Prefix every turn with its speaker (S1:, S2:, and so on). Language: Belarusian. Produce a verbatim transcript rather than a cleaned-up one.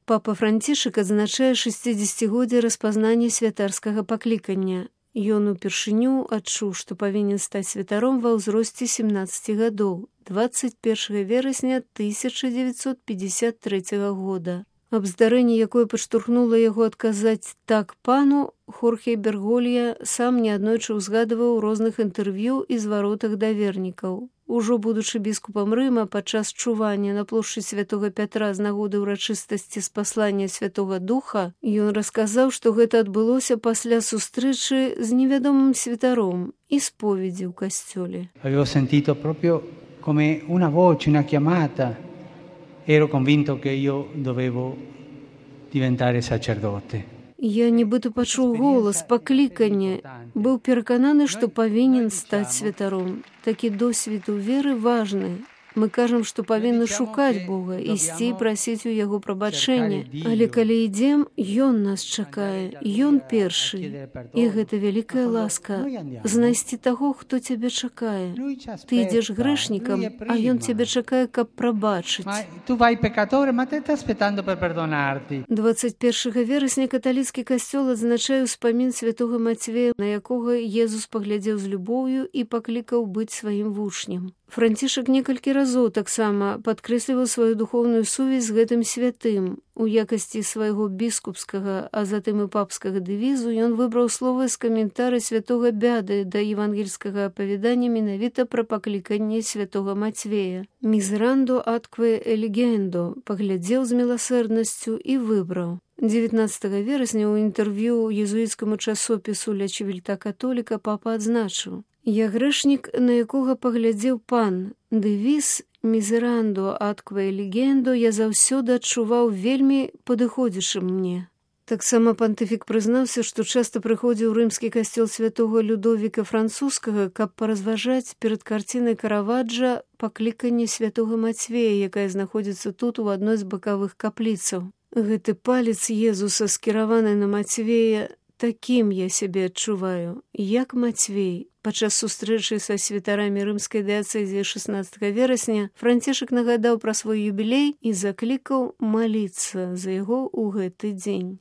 S1: Папа Францішак адзначае шэсцідзесяцігоддзе распазнання святарскага паклікання. Ён упершыню адчуў, што павінен стаць святаром ва ўзросце сямнаццаці гадоў, дваццаць першага верасня тысяча дзевяцьсот пятьдесят трэцяга года. Абздарэнне, якое падштурхнула яго адказаць «так пану», Хорхе Берголья сам неаднойчы ўзгадываў у розных інтэрв'ю і зваротах да вернікаў. Ужо будучы біскупам Рыма падчас чування на плошчы святога Пятра з нагоды ўрачыстасці спаслання Святога Духа, ён расказаў, што гэта адбылося пасля сустрэчы з невядомым святаром і споведзі ў касцёле.
S2: Avevo sentito proprio come una voce, una chiamata. Ero convinto che io dovevo diventare sacerdote.
S1: Я нібыта пачуў голас, пакліканне. Быў перакананы, што павінен стаць святаром. Такі досвед у веры важны. Мы кажам, што павінны шукаць Бога, ісці і прасіць у яго прабачэння. Але калі ідзем, ён нас чакае, ён першы. І гэта вялікая ласка знайсці таго, хто цябе чакае. Ты ідзеш грэшнікам, а ён цябе чакае, каб прабачыць. дваццаць першага верасня каталіцкі касцёл адзначае ўспамін святога Мацвея, на якога Езус паглядзеў з любоўю і паклікаў быць сваім вучнем. Францішак некалькі разоў таксама падкрэсліваў сваю духоўную сувязь з гэтым святым. У якасці свайго біскупскага, а затым і папскага дэвізу ён выбраў словы з каментара святога Бяды да евангельскага апавядання менавіта пра пакліканне святога Мацвея. «Мізерандо аткве елігендо» паглядзеў з міласэрнасцю і выбраў. дзевятнаццатага верасня ў інтэрв'ю езуіцкаму часопісу «Ля Чивільта католіка» папа адзначыў: «Я грэшнік, на якога паглядзеў пан. Дэвіз «Мізерандо аткве елігендо» я заўсёды адчуваў вельмі падыходзячым мне». Таксама пантыфік прызнаўся, што часта прыходзіў у рымскі касцёл святога Людовіка Французскага, каб паразважаць перад карцінай Караваджа пакліканне святога Мацвея, якая знаходзіцца тут у адной з бакавых капліцаў. Гэты палец Езуса, скіраваны на Мацвея, такім я сябе адчуваю, як Мацвей. Падчас сустрэчы са святарамі рымскай дыяцэзіі шаснаццатага верасня Францішак нагадаў пра свой юбілей і заклікаў маліцца за яго ў гэты дзень.